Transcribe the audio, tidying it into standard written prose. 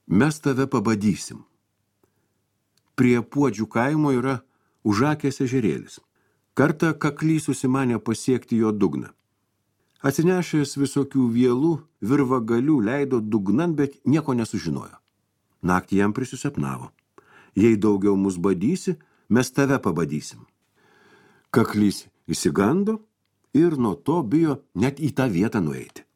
Mes tave pabadysim. Prie Puodžių kaimo yra Užakės ežerėlis. Kartą kaklys susimanė pasiekti jo dugną. Atsinešęs visokių vielų, virvagalių leido dugnan, bet nieko nesužinojo. Naktį jam prisisapnavo. Jei daugiau mus badysi, mes tave pabadysim. Kaklys įsigando ir nuo to bijo net į tą vietą nueiti.